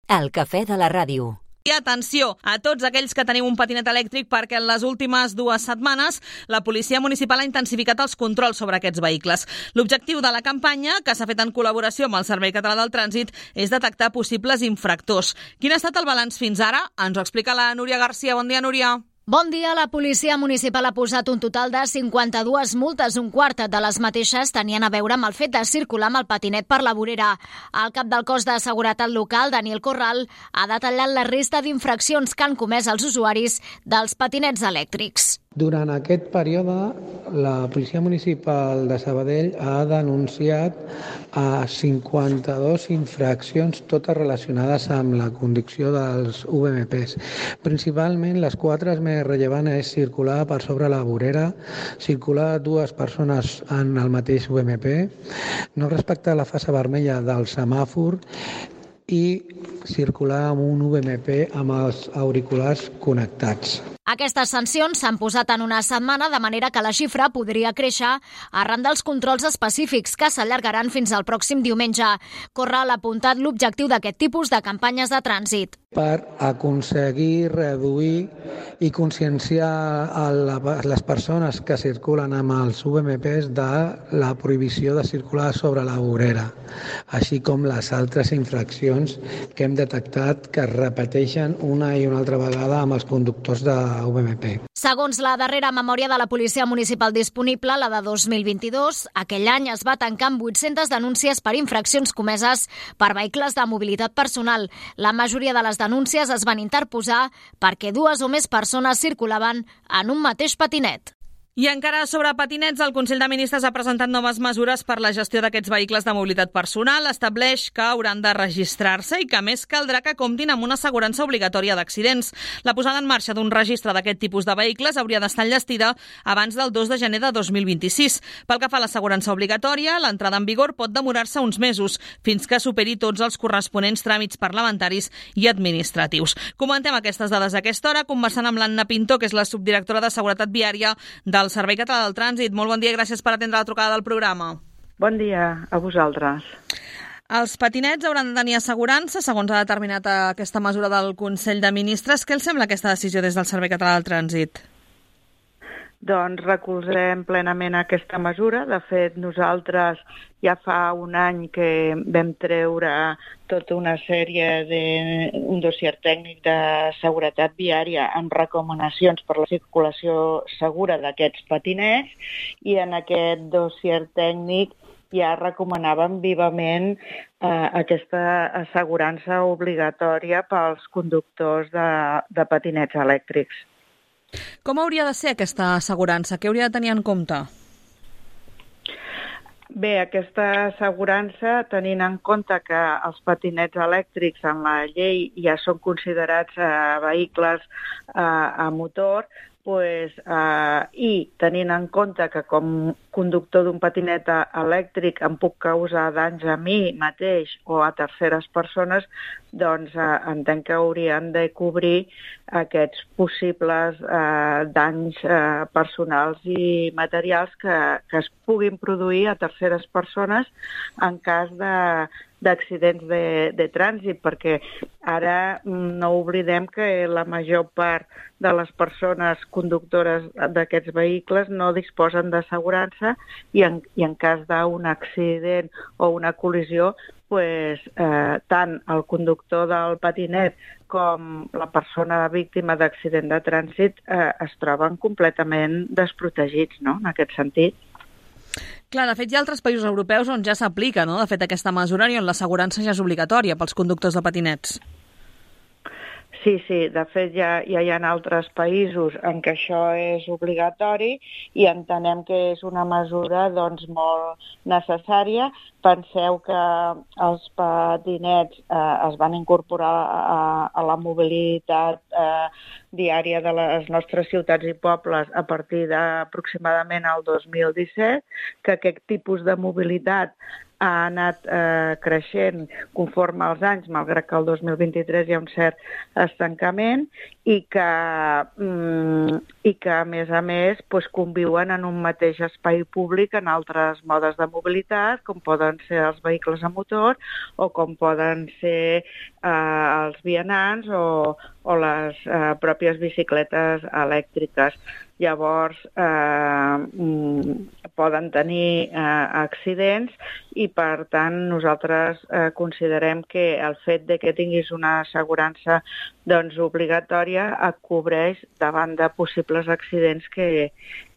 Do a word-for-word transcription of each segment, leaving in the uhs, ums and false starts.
El cafè de la ràdio. I atenció a tots aquells que teniu un patinet elèctric, perquè en les últimes dues setmanes la Policia Municipal ha intensificat els controls sobre aquests vehicles. L'objectiu de la campanya, que s'ha fet en col·laboració amb el Servei Català del Trànsit, és detectar possibles infractors. Quin ha estat el balanç fins ara? Ens ho explica la Núria Garcia. Bon dia, Núria. Bon dia. La Policia Municipal ha posat un total de cinquanta-dues multes. Un quart de les mateixes tenien a veure amb el fet de circular amb el patinet per la vorera. El cap del cos de seguretat local, Daniel Corral, ha detallat la resta d'infraccions que han comès els usuaris dels patinets elèctrics. Durant aquest període, la Policia Municipal de Sabadell ha denunciat a cinquanta-dues infraccions, totes relacionades amb la conducció dels U V M Ps. Principalment, les quatre més rellevants és circular per sobre la vorera, circular dues persones en el mateix U V M P, no respectar la fase vermella del semàfor i circular amb un U V M P amb els auriculars connectats. Aquestes sancions s'han posat en una setmana, de manera que la xifra podria créixer arran dels controls específics que s'allargaran fins al pròxim diumenge. Corral ha apuntat l'objectiu d'aquest tipus de campanyes de trànsit. Per aconseguir reduir i conscienciar a les persones que circulen amb els U V M Ps de la prohibició de circular sobre la vorera, així com les altres infraccions que hem detectat que es repeteixen una i una altra vegada amb els conductors de U V M P. Segons la darrera memòria de la Policia Municipal disponible, la de dos mil vint-i-dos, aquell any es va tancar amb vuit-centes denúncies per infraccions comeses per vehicles de mobilitat personal. La majoria de les denúncies es van interposar perquè dues o més persones circulaven en un mateix patinet. I encara sobre patinets, el Consell de Ministres ha presentat noves mesures per la gestió d'aquests vehicles de mobilitat personal. Estableix que hauran de registrar-se i que, a més, caldrà que comptin amb una assegurança obligatòria d'accidents. La posada en marxa d'un registre d'aquest tipus de vehicles hauria d'estar enllestida abans del dos de gener de dos mil vint-i-sis. Pel que fa a l'assegurança obligatòria, l'entrada en vigor pot demorar-se uns mesos, fins que superi tots els corresponents tràmits parlamentaris i administratius. Comentem aquestes dades a aquesta hora, conversant amb l'Anna Pinto, que és la subdirectora de Seguretat Viària del el Servei Català del Trànsit. Molt bon dia i gràcies per atendre la trucada del programa. Bon dia a vosaltres. Els patinets hauran de tenir assegurança, segons ha determinat aquesta mesura del Consell de Ministres. Què els sembla aquesta decisió des del Servei Català del Trànsit? Doncs recolzem plenament aquesta mesura. De fet, nosaltres ja fa un any que vam treure tota una sèrie de un dossier tècnic de seguretat viària amb recomanacions per la circulació segura d'aquests patinets, i en aquest dossier tècnic ja recomanàvem vivament eh, aquesta assegurança obligatòria pels conductors de, de patinets elèctrics. Com hauria de ser aquesta assegurança? Què hauria de tenir en compte? Bé, aquesta assegurança, tenint en compte que els patinets elèctrics en la llei ja són considerats eh, vehicles eh, a motor, pues, eh, i tenint en compte que com conductor d'un patinet elèctric em puc causar danys a mi mateix o a terceres persones, doncs eh, entenc que haurien de cobrir aquests possibles eh, danys eh, personals i materials que, que es puguin produir a terceres persones en cas de d'accidents de, de trànsit, perquè ara no oblidem que la major part de les persones conductores d'aquests vehicles no disposen d'assegurança i en, i en cas d'un accident o una col·lisió, pues, eh, tant el conductor del patinet com la persona víctima d'accident de trànsit eh, es troben completament desprotegits, no?, en aquest sentit. Clar, de fet, hi ha altres països europeus on ja s'aplica, no?, de fet, aquesta mesura i on l'assegurança ja és obligatòria pels conductors de patinets. Sí, sí, de fet ja, ja hi ha altres països en què això és obligatori i entenem que és una mesura doncs, molt necessària. Penseu que els patinets eh, es van incorporar a, a la mobilitat eh, diària de les nostres ciutats i pobles a partir d'aproximadament el dos mil disset, que aquest tipus de mobilitat ha anat eh, creixent conforme als anys, malgrat que el dos mil vint-i-tres hi ha un cert estancament, i que, mm, i que, a més a més, doncs, conviuen en un mateix espai públic en altres modes de mobilitat, com poden ser els vehicles a motor o com poden ser eh, els vianants o, o les eh, pròpies bicicletes elèctriques. Llavors, eh, poden tenir eh, accidents i, per tant, nosaltres eh, considerem que el fet de que tinguis una assegurança doncs, obligatòria et cobreix davant de possibles accidents que,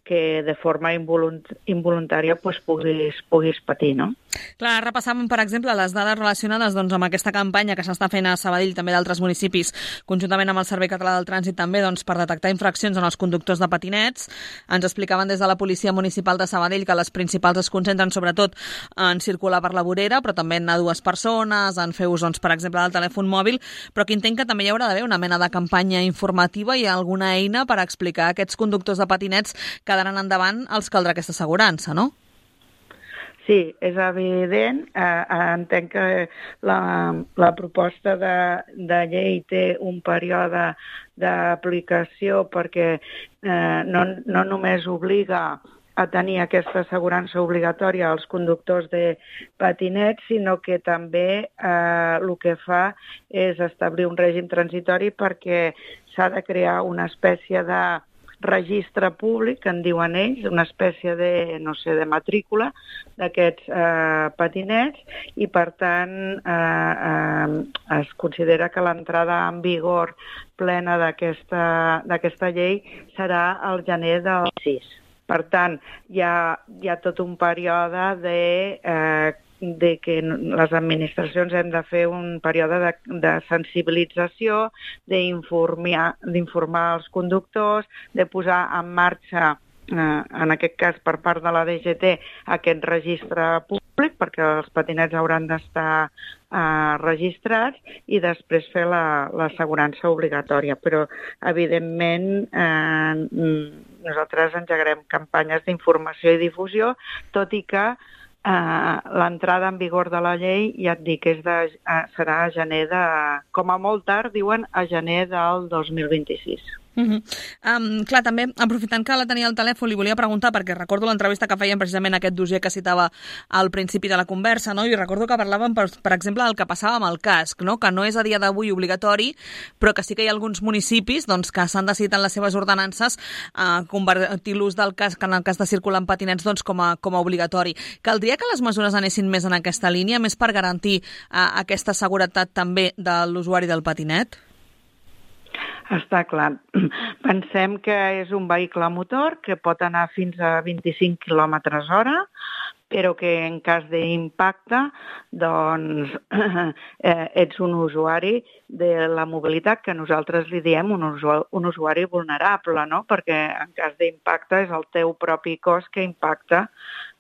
que de forma involunt- involuntària pues, puguis, puguis patir, no? Clar, repassàvem, per exemple, les dades relacionades doncs, amb aquesta campanya que s'està fent a Sabadell, també d'altres municipis, conjuntament amb el Servei Català del Trànsit, també doncs, per detectar infraccions en els conductors de patinets. Ens explicaven des de la Policia Municipal de Sabadell que les principals es concentren sobretot en circular per la vorera, però també en anar dues persones, en fer ús, doncs, per exemple, del telèfon mòbil, però que entenc que també hi haurà d'haver una mena de campanya informativa i alguna eina per explicar a aquests conductors de patinets que d'aran endavant els caldrà aquesta assegurança, no? Sí, és evident. Eh, entenc que la, la proposta de, de llei té un període d'aplicació perquè eh, no, no només obliga a tenir aquesta assegurança obligatòria als conductors de patinets, sinó que també eh, el que fa és establir un règim transitori perquè s'ha de crear una espècie de registre públic, que en diuen ells, una espècie de, no sé, de matrícula d'aquests eh, patinets i, per tant, eh, eh, es considera que l'entrada en vigor plena d'aquesta d'aquesta llei serà el gener del sis. Per tant, hi ha, hi ha tot un període de eh, de que les administracions hem de fer un període de, de sensibilització, d'informar, d'informar els conductors, de posar en marxa, eh, en aquest cas per part de la D G T, aquest registre públic, perquè els patinets hauran d'estar eh, registrats i després fer la, l'assegurança obligatòria. Però, evidentment, eh, nosaltres engegarem campanyes d'informació i difusió, tot i que Uh, l'entrada en vigor de la llei, ja et dic, és de, uh, serà a gener de... Com a molt tard, diuen, a gener del dos mil vint-i-sis. Uh-huh. Um, clar, també, aprofitant que la tenia al telèfon, li volia preguntar, perquè recordo l'entrevista que feien precisament aquest dossier que citava al principi de la conversa, no? I recordo que parlàvem, per, per exemple, del que passava amb el casc, no? Que no és a dia d'avui obligatori, però que sí que hi ha alguns municipis doncs, que s'han decidit en les seves ordenances uh, convertir l'ús del casc en el cas de circular en patinets doncs, com, a, com a obligatori. Caldria que les mesures anessin més en aquesta línia, més per garantir uh, aquesta seguretat també de l'usuari del patinet? Està clar. Pensem que és un vehicle a motor que pot anar fins a vint-i-cinc quilòmetres hora, però que en cas d'impacte doncs, eh, ets un usuari de la mobilitat, que nosaltres li diem un usuari, un usuari vulnerable, no? Perquè en cas d'impacte és el teu propi cos que impacta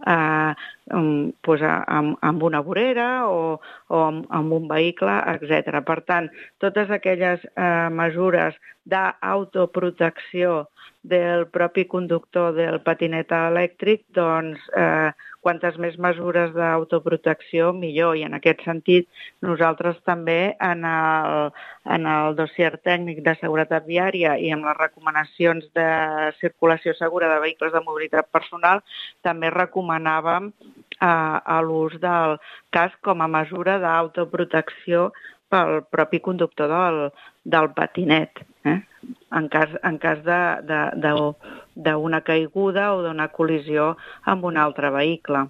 eh, doncs, amb, amb una vorera o, o amb, amb un vehicle, etcètera. Per tant, totes aquelles eh, mesures d'autoprotecció del propi conductor del patinet elèctric, doncs, eh, quantes més mesures d'autoprotecció, millor. I en aquest sentit, nosaltres també en el, en el dossier tècnic de seguretat viària i en les recomanacions de circulació segura de vehicles de mobilitat personal també recomanàvem eh, l'ús del casc com a mesura d'autoprotecció pel propi conductor del, del patinet, eh? en cas, en cas d'una caiguda o d'una col·lisió amb un altre vehicle.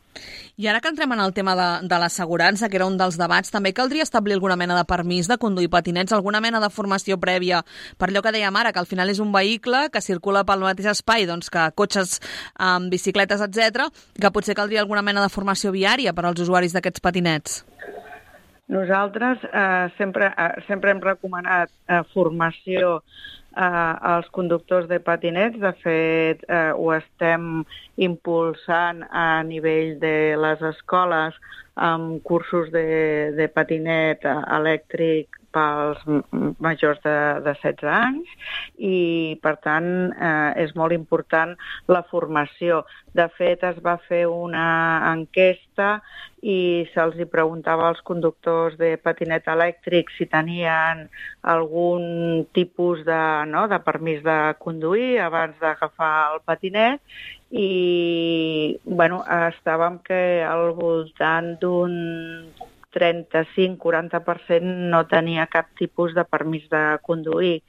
I ara que entrem en el tema de, de l'assegurança, que era un dels debats, també caldria establir alguna mena de permís de conduir patinets, alguna mena de formació prèvia, per allò que dèiem ara, que al final és un vehicle que circula pel mateix espai doncs, que cotxes, um, bicicletes, etcètera, que potser caldria alguna mena de formació viària per als usuaris d'aquests patinets. Nosaltres eh, sempre, eh, sempre hem recomanat eh, formació eh, als conductors de patinets. De fet, eh, ho estem impulsant a nivell de les escoles amb cursos de, de patinet elèctric pels majors de, de setze anys i, per tant, eh, és molt important la formació. De fet, es va fer una enquesta i se'ls hi preguntava als conductors de patinet elèctric si tenien algun tipus de, no, de permís de conduir abans d'agafar el patinet i bueno, estàvem que al voltant d'un trenta-cinc a quaranta per cent no tenia cap tipus de permís de conduir.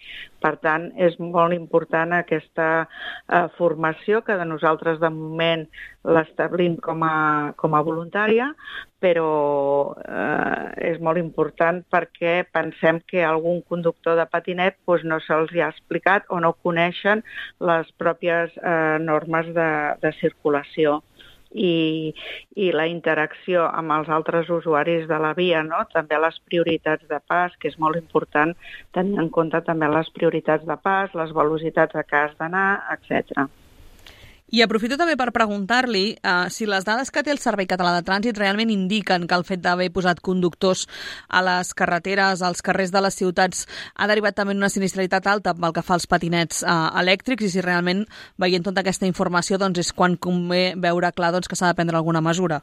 Per tant, és molt important aquesta eh, formació, que de nosaltres de moment l'establim com a, com a voluntària, però eh, és molt important perquè pensem que algun conductor de patinet doncs, no se'ls ha explicat o no coneixen les pròpies eh, normes de, de circulació. I, i la interacció amb els altres usuaris de la via, no? També les prioritats de pas, que és molt important tenir en compte també les prioritats de pas, les velocitats a què has d'anar, etcètera. I aprofito també per preguntar-li uh, si les dades que té el Servei Català de Trànsit realment indiquen que el fet d'haver posat conductors a les carreteres, als carrers de les ciutats, ha derivat també en una sinistralitat alta pel que fa als patinets uh, elèctrics i si realment, veient tota aquesta informació, doncs és quan convé veure clar doncs, que s'ha de prendre alguna mesura.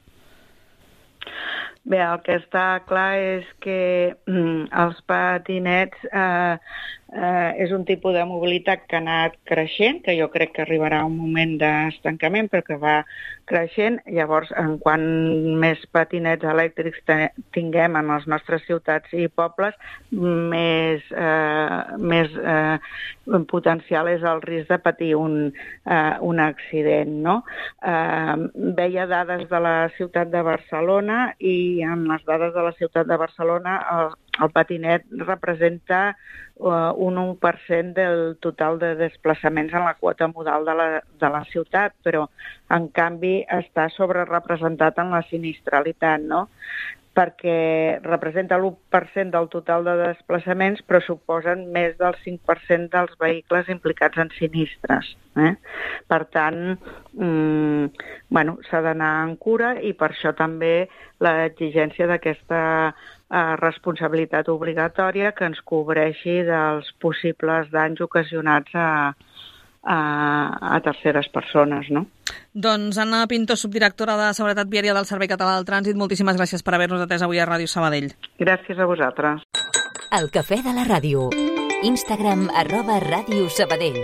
Bé, el que està clar és que mm, els patinets eh, eh, és un tipus de mobilitat que ha anat creixent, que jo crec que arribarà un moment d'estancament, però que va creixent. Llavors, en quant més patinets elèctrics tinguem en les nostres ciutats i pobles, més, eh, més eh, potencial és el risc de patir un, eh, un accident, no? Eh, veia dades de la ciutat de Barcelona i en les dades de la ciutat de Barcelona el, el patinet representa uh, un un per cent del total de desplaçaments en la quota modal de la, de la ciutat, però en canvi està sobrerepresentat en la sinistralitat, no? Perquè representa l'u per cent del total de desplaçaments, però suposen més del cinc per cent dels vehicles implicats en sinistres. Eh? Per tant, mm, bueno, s'ha d'anar en cura i per això també l'exigència d'aquesta eh, responsabilitat obligatòria que ens cobreixi dels possibles danys ocasionats a, a, a terceres persones, no? Doncs Anna Pinto, subdirectora de Seguretat Viària del Servei Català del Trànsit, moltíssimes gràcies per haver-nos atès avui a Ràdio Sabadell. Gràcies a vosaltres. El cafè de la ràdio. Instagram arroba Ràdio Sabadell.